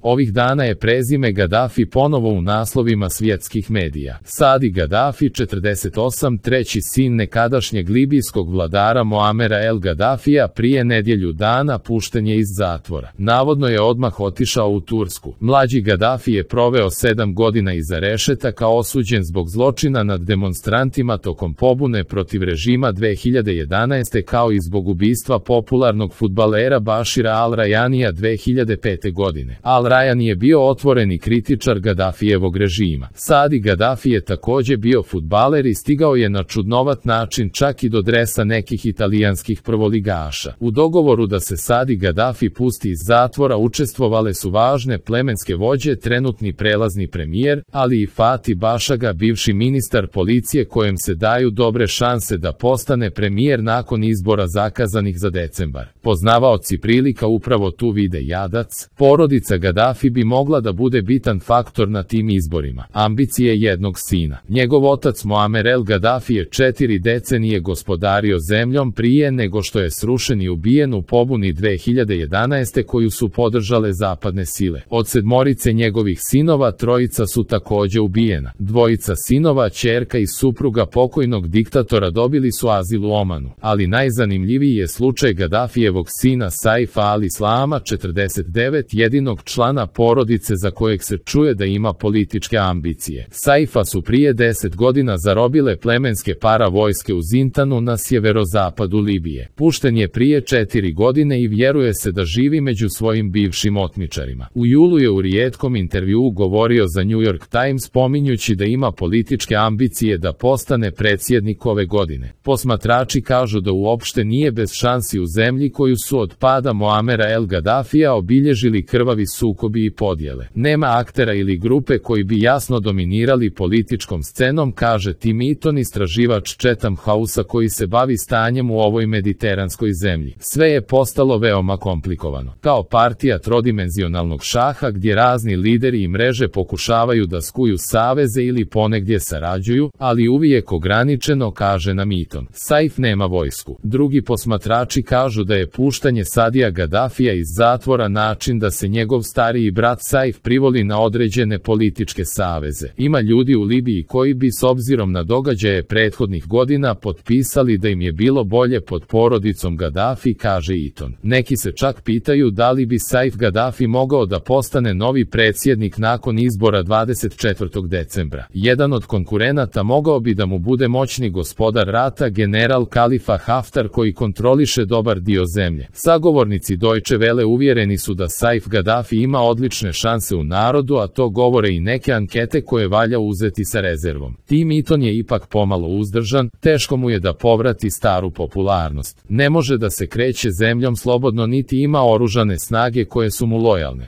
Ovih dana je prezime Gadafi ponovo u naslovima svjetskih medija. Sadi Gadafi, 48, treći sin nekadašnjeg libijskog vladara Moamera El Gadafija, prije nedjelju dana pušten je iz zatvora. Navodno je odmah otišao u Tursku. Mlađi Gadafi je proveo 7 godina iza rešetaka, osuđen zbog zločina nad demonstrantima tokom pobune protiv režima 2011. kao i zbog ubistva popularnog fudbalera Bašira Al-Rajanija 2005. godine. Al-Rajani je bio otvoreni kritičar Gadafijevog režima. Sadi Gadafi je također bio fudbaler i stigao je na čudnovat način čak i do dresa nekih italijanskih prvoligaša. U dogovoru da se Sadi Gadafi pusti iz zatvora učestvovale su važne plemenske vođe, trenutni prelazni premijer, ali i Fati Bašaga, bivši ministar policije kojem se daju dobre šanse da postane premijer nakon izbora zakazanih za decembar. Poznavaoci prilika upravo tu vide jadac. Porodica Gadafi bi mogla da bude bitan faktor na tim izborima. Ambicije jednog sina. Njegov otac Moamer El Gadafi je 4 decenije gospodario zemljom prije nego što je srušen i ubijen u pobuni 2011. koju su podržale zapadne sile. Od 7 njegovih sinova 3 su također ubijena. 2 sinova, ćerka i supruga pokojnog diktatora dobili su azil u Omanu. Ali najzanimljiviji je slučaj Gadafijevog sina Saifa al-Islama, 49, jedinog člana porodice za kojeg se čuje da ima političke ambicije. Saifa su prije 10 godina zarobile plemenske paravojske u Zintanu na sjeverozapadu Libije. Pušten je prije 4 godine i vjeruje se da živi među svojim bivšim otmičarima. U julu je u rijetkom intervjuu govorio za New York Times, spominjući da ima političke ambicije da postane predsjednik ove godine. Posmatrači kažu da uopšte nije bez šansi u zemlji koju su od pada Moamera El Gadafija obilježili krvavi sukobi i podjele. Nema aktera ili grupe koji bi jasno dominirali političkom scenom, kaže Tim Eaton, istraživač Chatham Housea koji se bavi stanjem u ovoj mediteranskoj zemlji. Sve je postalo veoma komplikovano. Kao partija trodimenzionalnog šaha gdje razni lideri i mreže pokušavaju da skuju saveze ili ponegdje sarađuju, ali uvijek ograničeno, kaže nam Eaton. Saif nema vojsku. Drugi posmatrači kažu da je puštanje Sadija Gadafija iz zatvora način da se njegov stariji brat Saif privoli na određene političke saveze. Ima ljudi u Libiji koji bi s obzirom na događaje prethodnih godina potpisali da im je bilo bolje pod porodicom Gadafi, kaže Eaton. Neki se čak pitaju da li bi Saif Gadafi mogao da postane novi predsjednik nakon izbora 24. decembra. Jedan od konkurenata mogao bi da mu bude moćni gospodar rata, general Khalifa Haftar, koji kontroliše dobar dio zemlje. Sagovornici Deutsche Welle uvjereni su da Saif Gadafi ima odlične šanse u narodu, a to govore i neke ankete koje valja uzeti sa rezervom. Tim Eaton je ipak pomalo uzdržan, teško mu je da povrati staru popularnost. Ne može da se kreće zemljom slobodno niti ima oružane snage koje su mu lojalne.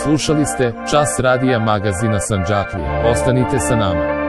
Slušali ste Čas radija magazina Sandžaklija. Ostanite sa nama.